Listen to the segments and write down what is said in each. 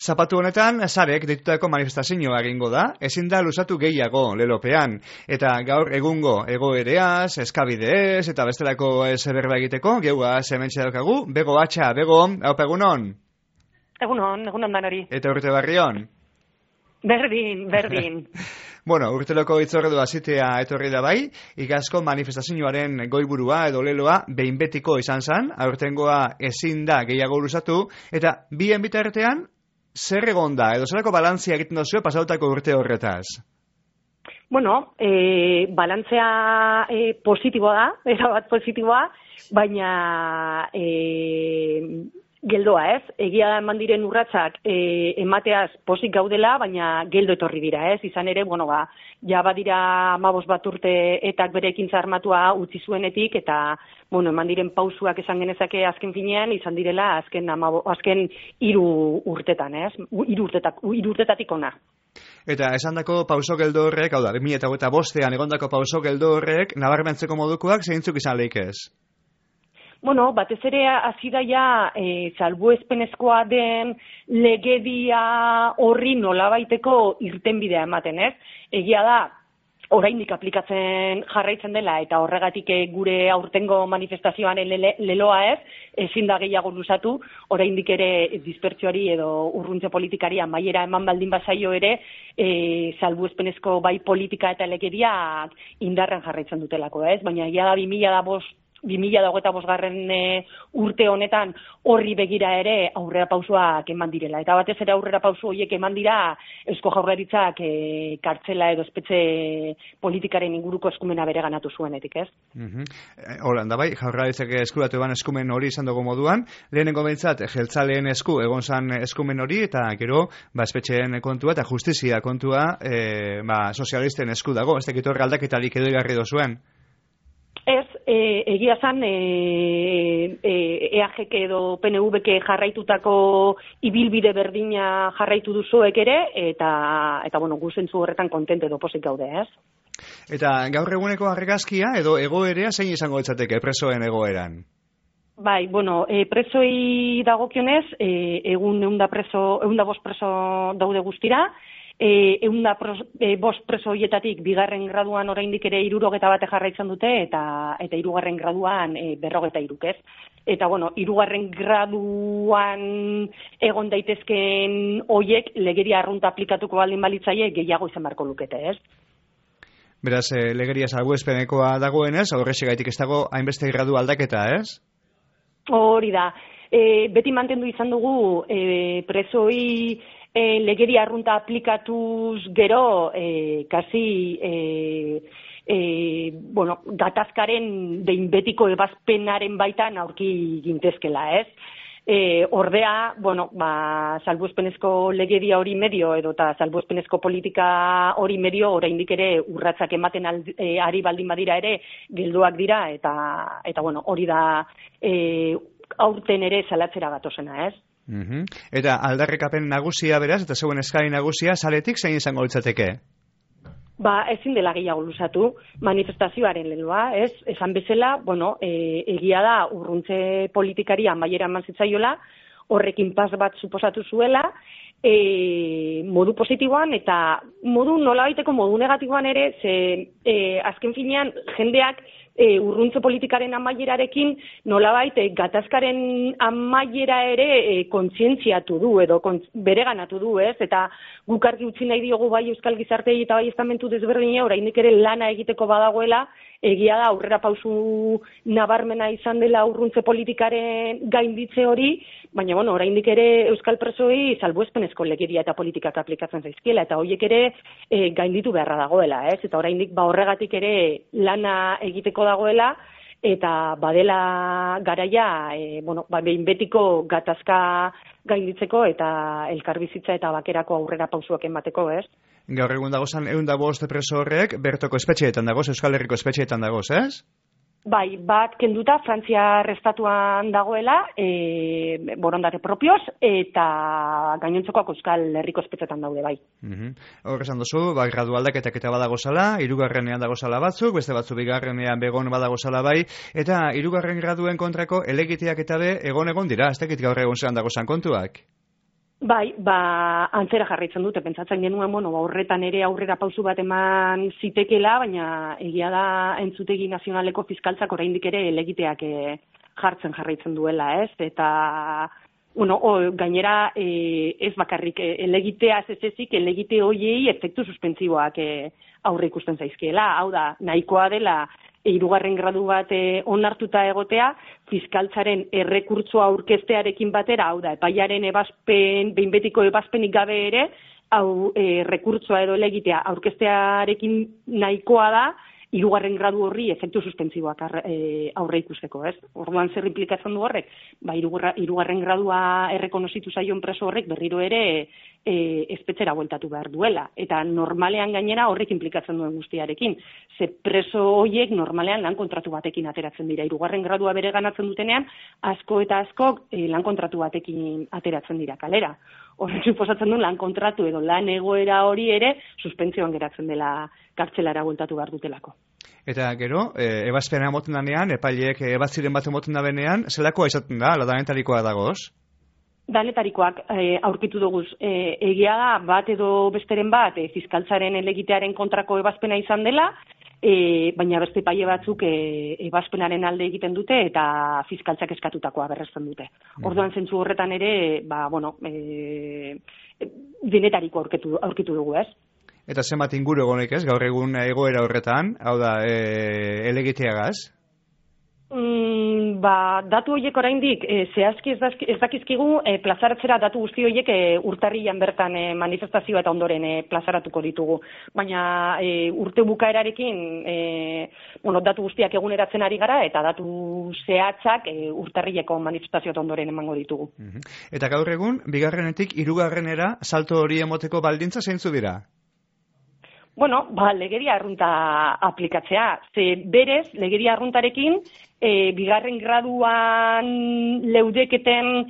Zapatu honetan, Sarek deitutako manifestazioa egingo da, ezin da luzatu gehiago lelopean, eta gaur egungo egoereaz, eskabideez, eta bestelako berba egiteko, geua hementxe daukagu, Bego Atxa, Bego, haupa egunon? Egunon danari. Eta urte barrion? Berdin. Bueno, urteloko itzorredu azitea etorri da bai, igazko manifestazioaren goiburua edo leloa behin betiko izan zan, aurtengoa ezin da gehiago luzatu, eta bien bitartean, zer egon da, edo zerako balantzia egiten dozio pasautako urte horretaz? Bueno, balantzea positiboa da, erabat positiboa, baina geldoa ez, egia da eman diren urratsak emateaz posik gaudela, baina geldo etorri dira ez, izan ere, ja badira 15 bat urte etak bere ekintza armatua utzi zuenetik, eta eman diren pausuak esan genezake azken finean, izan direla azken 3 urtetan ez, 3 urtetatik ona. Eta esandako pauso geldo horrek, hau da, 2005an egondako pauso geldo horrek, nabarmentzeko modukoak zeintzuk izan leikez? Batez ere hasi da ja salbuespenezkoa den legedia horri nolabaiteko irtenbidea ematen, ez? Egia da, oraindik aplikatzen jarraitzen dela eta horregatik gure aurtengo manifestazioaren leloa ez, ezin da gehiago luzatu, oraindik ere dispertsioari edo urruntze politikari amaiera eman baldin bazaio ere, salbuespenezko bai politika eta legediak indarren jarraitzen dutelako, ez? Baina egia da 2025 urte honetan horri begira ere aurrera pausoak eman direla. Eta batez ere aurrera pauso horiek eman dira Eusko Jaurlaritzak kartzela edo espetxe politikaren inguruko eskumena bereganatu zuenetik, ez? Holanda bai, Jaurlaritzak eskuratu eban eskumen hori izan dugu moduan, lehenengo behintzat jeltzaleen esku egon zan eskumen hori, eta gero espetxeen kontua eta justizia kontua sozialisten esku dago, ez dakit horre aldaketarik edo igarri dozuen. Ez, egia zan EAGek edo PNVek jarraitutako ibilbide berdina jarraitu duzuek ere, eta guzentzu horretan kontent edo posik gaude, ez? Eta gaur eguneko argazkia edo egoerea zein izango litzateke presoen egoeran? Bai, presoi dagokionez, egun 105 preso daude guztira, 105 preso horietatik bigarren graduan oraindik ere 61 jarraitzen dute eta 3. graduan 43, ez? Eta hirugarren graduan egon daitezkeen hoiek legeria arrunta aplikatuko baldin balitzaie gehiago izan beharko lukete, ez? Beraz, legeria salbuespenekoa dagoenez, horrexegatik ez dago hainbeste gradu aldaketa, ez? Hori da. Beti mantendu izan dugu presoi legeria arrunta aplikatuz gero, gatazkaren behin betiko ebazpenaren baitan aurki gintezkela, ez? Ordea, salbuespenezko legedia hori medio edo eta salbuespenezko politika hori medio oraindik ere urratsak ematen ari baldin badira ere geldoak dira eta hori da aurten ere salatzera gatozena, ez? Eta aldarrikapen nagusia beraz, eta zeuen eskari nagusia, saletik zein izango litzateke? Ezin dela gehiago luzatu, manifestazioaren leloa, ez? Esan bezala, egia da urruntze politikari amaiera eman zitzaiola, horrekin pas bat suposatu zuela, modu positiboan eta nolabaiteko modu negatiboan ere, azken finean jendeak urruntze politikaren amaierarekin nolabait gatazkaren amaiera ere kontzientziatu du edo bereganatu du, ez? Eta guk argi utzi nahi diogu bai euskal gizarteei eta bai estamentu desberdina oraindik ere lana egiteko badagoela, egia da aurrera pausu nabarmena izan dela urruntze politikaren gainditze hori, baina oraindik ere euskal presoi salbuespenezko legedia eta politikak aplikatzen zaizkiela eta horiek ere gainditu beharra dagoela, ez? Eta oraindik horregatik ere lana egiteko dagoela eta badela garaia behin betiko gatazka gainditzeko eta elkarbizitza eta bakerako aurrera pausuak emateko, ez? Gaur egun dagozan 105 preso horrek bertoko espetxeetan dagoz, Euskal Herriko espetxeetan dagoz, ez? Bai, bat kenduta Frantziar estatuan dagoela, borondate propioz, eta gainontzekoak Euskal Herriko espetxetan daude, bai. Hor esan duzu, gradu aldaketak eta badagozala, 3. dagozala batzuk, beste batzuk 2. begon badagozala bai, eta 3. graduen kontrako elegiteak eta egon dira, ez dakit gaur egun zelan dagozan kontuak? Bai, antzera jarraitzen dute, pentsatzen genuen, horretan ere aurrera pausu bat eman zitekela, baina egia da entzutegi nazionaleko fiskaltzak oraindik ere helegiteak jartzen jarraitzen duela, ez? Eta, gainera ez bakarrik helegitea ez ezik, helegite hoiei efektu suspentsiboak aurre ikusten zaizkiela, hau da, nahikoa dela, hirugarren gradu bat onartuta egotea, fiskaltzaren errekurtsoa aurkeztearekin batera, hau da, epaiaren behin betiko ebazpenik gabe ere, rekurtsoa edo helegitea aurkeztearekin nahikoa da, hirugarren gradu horri efektu suspentsiboak aurre ikusteko, ez? Orduan zer implikatzen du horrek? Hirugarren gradua errekonozitu zaion preso horrek berriro ere espetxera bueltatu behar duela. Eta normalean gainera horrek implikatzen duen guztiarekin. Ze preso horiek normalean lan kontratu batekin ateratzen dira. Hirugarren gradua bere ganatzen dutenean, asko eta askok lan kontratu batekin ateratzen dira kalera. Horrek suposatzen du lan kontratu edo lan egoera hori ere suspentsioan geratzen dela kartzelara bueltatu behar dutelako. Eta gero, ebazpena moten danean, epaileek ebazziren bat moten da benean, zelakoa izaten da, ala danetarikoa dagoz? Danetarikoak aurkitu duguz. Egia da, bat edo besteren bat, fiskaltzaren helegitearen kontrako ebazpena izan dela, baina beste epaile batzuk ebazpenaren alde egiten dute eta fiskaltzak eskatutakoa berresten dute. Orduan zentzu horretan ere, denetariko aurkitu dugu, ez? Eta zenbat inguru egonek ez, gaur egun egoera horretan, hau da, helegiteagaz? Datu horiek oraindik zehazki ez dakizkigu plazaratzera datu guzti horiek urtarrilan bertan manifestazioa eta ondoren plazaratuko ditugu. Baina urte bukaerarekin datu guztiak eguneratzen ari gara eta datu zehatzak urtarrileko manifestazioa eta ondoren emango ditugu. Eta gaur egun, bigarrenetik hirugarrenera salto hori emoteko baldintza zeintzu dira? Legedia arrunta aplikatzea. Ze berez, legedia arruntarekin, bigarren graduan leudeketen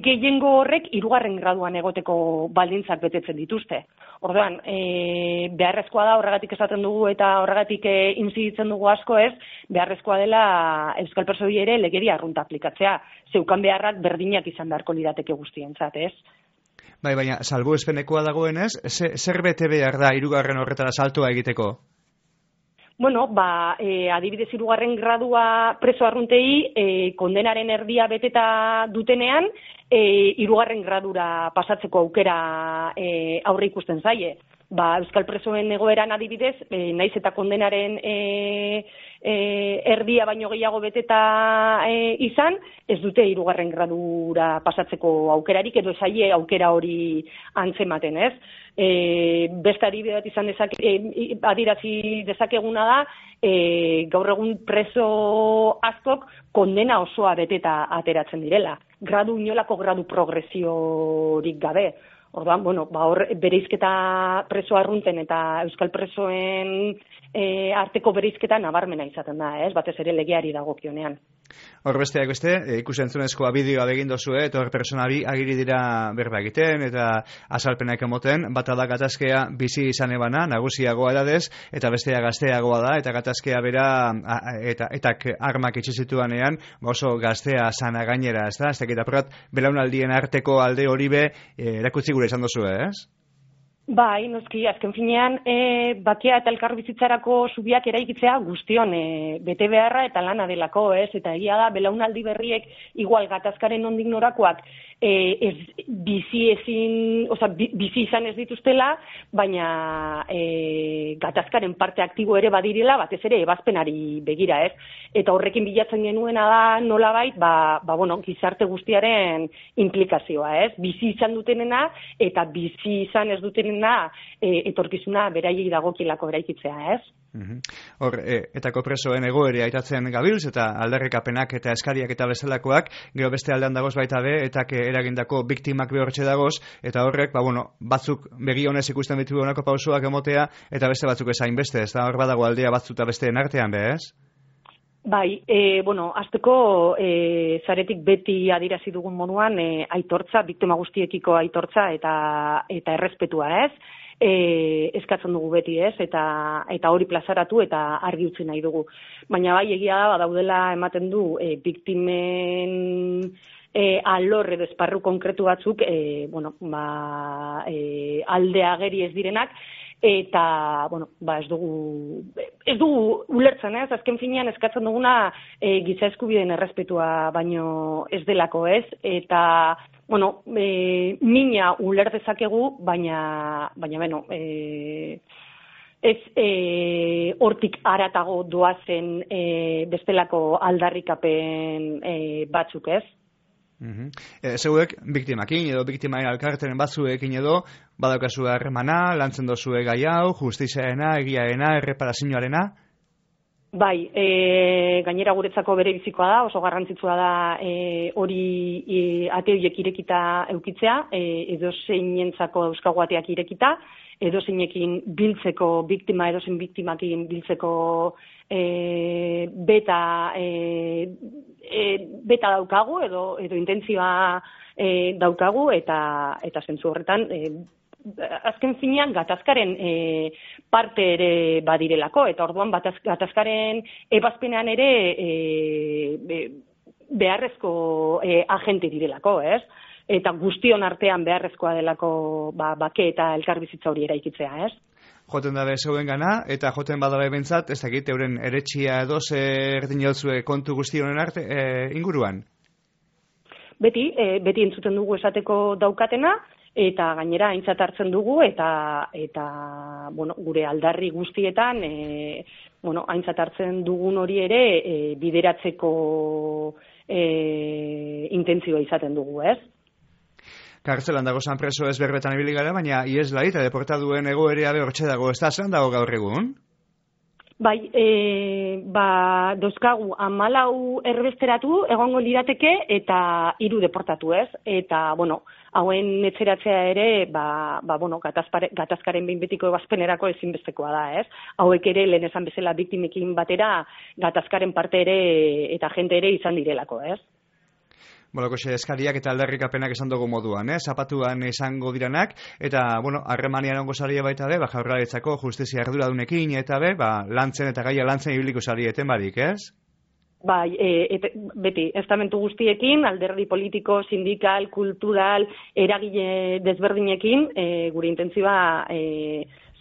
gehiengo horrek hirugarren graduan egoteko baldintzak betetzen dituzte. Orduan, beharrezkoa da, horregatik esaten dugu eta horregatik inziditzen dugu asko ez, beharrezkoa dela euskal presoi ere legedia arrunta aplikatzea. Zeukan beharrak berdinak izan beharko lirateke guztientzat, ez? Bai, baina salbuespenekoa dagoenez, zer bete behar da hirugarren horretara saltoa egiteko? Adibidez hirugarren gradua preso arruntei kondenaren erdia beteta dutenean, hirugarren gradura pasatzeko aukera aurre ikusten zaie. Euskal presoen egoeran adibidez, naiz eta kondenaren erdia baino gehiago beteta izan, ez dute hirugarren gradura pasatzeko aukerarik edo zaie aukera hori antzematen, ez? Beste adibide bat izan adirazi dezakeguna da, gaur egun preso askok kondena osoa beteta ateratzen direla. Inolako gradu progresiorik gabe. Orduan, hor bereizketa preso arrunten eta euskal presoen arteko bereizketa nabarmena izaten da, ez? Batez ere legeari dagokionean. Hor besteak beste, ikusentzunezkoa bideoa begin dozue, eta hor persona bi agiri dira berba egiten, eta azalpenak emoten, bata da gatazkea bizi izan ebana, nagusiagoa edadez, eta bestea gazteagoa da, eta gatazkea bera, eta armak itxizituanean, oso gaztea sana gainera, ez da? Ez dakit apurat, belaunaldien arteko alde hori be, erakutsi gure izan dozue, ez? Bai, noski, azken finean, bakea eta elkarbizitzarako zubiak eraikitzea guztion bete beharra eta lana delako, ez? Eta egia da, belaunaldi berriek igual gatazkaren nondik norakoak bizi izan ez dituztela, baina gatazkaren parte aktibo ere badirela, batez ere ebazpenari begira, ez? Eta horrekin bilatzen genuena da nolabait, gizarte guztiaren implikazioa, ez? Bizi izan dutenena eta bizi izan ez dutenena etorkizuna beraiei dagokilako eraikitzea, ez? Hor, etako presoen egoere aitatzen gabiltz eta aldarrikapenak eta eskariak eta bezalakoak, gero beste aldean dagoz baita be, eta eragindako biktimak behortxe dagoz, eta horrek, batzuk begi honez ikusten ditu honako pausuak emotea, eta beste batzuk ezain beste, ez da hor badago aldea batzuta besteen artean be, ez? Bai, azteko zaretik beti adirazi dugun moduan aitortza, biktima guztiekiko aitortza eta errespetua, ez? Eskatzen dugu beti, ez? Eta hori plazaratu eta argi utzi nahi dugu. Baina bai, egia da, daudela ematen du biktimen alor edo esparru konkretu batzuk alde ageri ez direnak, eta ez dugu ulertzen, ez? Azken finean eskatzen duguna giza eskubideen errespetua baino ez delako, ez? Eta mina uler dezakegu, baina ez hortik haratago doazen bestelako aldarrikapen batzuk, ez? Zeuek biktimakin edo biktimaen elkarteren batzuekin edo badaukazu harremana, lantzen dozue gai hau, justiziarena, egiarena, erreparazioarena? Bai, gainera guretzako bere bizikoa da, oso garrantzitsua da hori ate horiek irekita eukitzea, edo zeinentzako euskago ateak irekita, edo zeinekin biltzeko, edo zein biktimakin biltzeko beta daukagu, edo intentzioa daukagu, eta zentzu horretan, azken finean gatazkaren parte ere badirelako, eta orduan gatazkaren ebazpenean ere beharrezko agente direlako, ez? Eta guztion artean beharrezkoa delako bake eta elkarbizitza hori eraikitzea, ez? Joten dabe zeuen gana, eta joten badabe bentsat, ez dakit, euren eretxia edo zer dinozue kontu guztionen arte inguruan? Beti entzuten dugu esateko daukatena, eta gainera aintzat hartzen dugu, eta gure aldarri guztietan, aintzat hartzen dugun hori ere bideratzeko intentzioa izaten dugu, ez? Kartzelan dago zan preso ez berbetan ibili gara, baina ieslari eta deportaduen egoerea hortxe dago, ez da zelan dago gaur egun? Bai, dauzkagu 14 erbesteratu egongo lirateke eta 3 deportatu, ez? Eta, hauen etxeratzea ere, gatazkaren behin betiko ebazpenerako ezinbestekoa da, ez? Hauek ere, lehen esan bezala biktimekin batera, gatazkaren parte ere eta jente ere izan direlako, ez? Koxe eskariak eta aldarrikapenak esan dugu moduan, zapatuan izango diranak, eta, harremanian ongo saria baita be, Jaurlaritzako justizia arduradunekin, eta lantzen eta gaia lantzen ibiliko sarieten barik, ez? Bai, beti, estamentu guztiekin, alderdi politiko, sindikal, kultural, eragile desberdinekin, gure intentzioa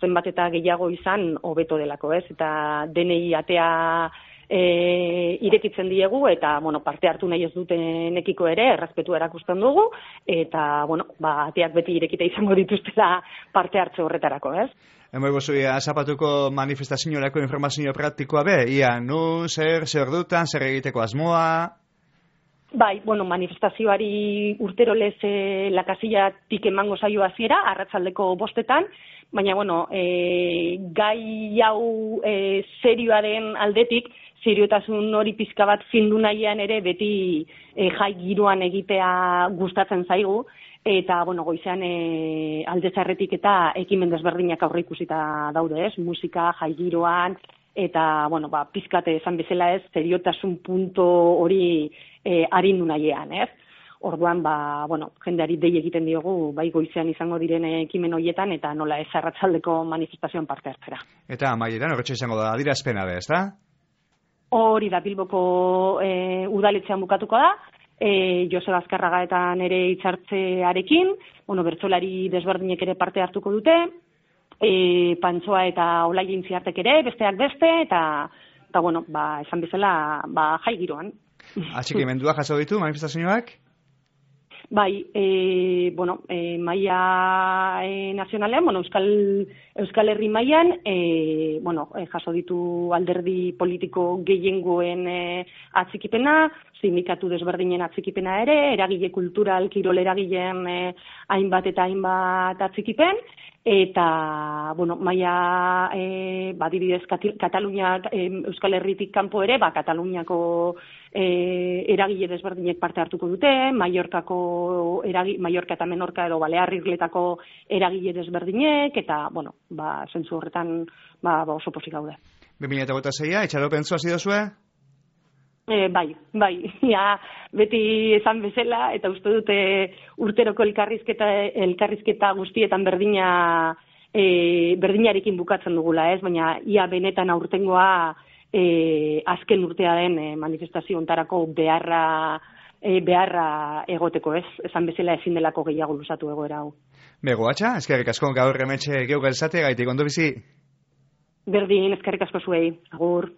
zenbat eta gehiago izan hobeto delako, ez? Eta denei atea irekitzen diegu, eta, parte hartu nahi ez dutenekiko ere, errespetu erakusten dugu, eta, ateak beti irekita izango dituztela parte hartze horretarako, ez? Hemo gozuia, zapatuko manifestaziorako informazio praktikoa be, ia, zer dutan, zer egiteko asmoa? Bai, manifestazioari urtero lez lakasillatik emango zaio hasiera, arratsaldeko 5:00, baina, gai hau serioa den aldetik, seriotasun hori pizka bat findu nahian ere beti jai giroan egitea gustatzen zaigu, eta, goizean alde zarretik eta ekimen desberdinak aurre ikusita daude, ez? Musika, jai giroan, eta, pizkate esan bezala ez, seriotasun punto hori arindu nahian, ez? Orduan, jendeari dei egiten diogu, bai goizean izango diren ekimen horietan, eta nola ez arratsaldeko manifestazioan parte hartzera. Eta amaieran, horretxe izango da, adierazpena be, ez da? Hori da Bilboko udaletxean bukatuko da, Joseba Azkarraga eta nere hitzartzearekin, bertsolari desberdinek ere parte hartuko dute, Pantsoa eta Olaia Intziartek ere, besteak beste, eta esan bezala, jai giroan. Atxikimendua jaso ditu manifestazioak? Bai, maila nazionalean, Euskal Herri mailan, jaso ditu alderdi politiko gehiengoen atxikipena, sindikatu desberdinen atxikipena ere, eragile kultural, kirol eragileen hainbat eta hainbat atxikipen, eta, maila, adibidez, Kataluniak, Euskal Herritik kanpo ere, Kataluniako eragile desberdinek parte hartuko dute, Mallorca eta Menorca edo Balear Irletako eragile desberdinek, eta, zentzu horretan, oso pozik gaude. 2026, itxaropen zua zidozue? Bai, beti esan bezala, eta uste dute urteroko elkarrizketa guztietan berdinarekin bukatzen dugula, ez? Baina ia benetan aurtengoa azken urtea den manifestazio ontarako beharra beharra egoteko, ez? Esan bezala ezin delako gehiago luzatu egoera hau. Bego, atxa, eskerrik asko gaur hemetxe geuk elzate gaitik ondo bizi. Berdin, eskerrik asko zuei, agur.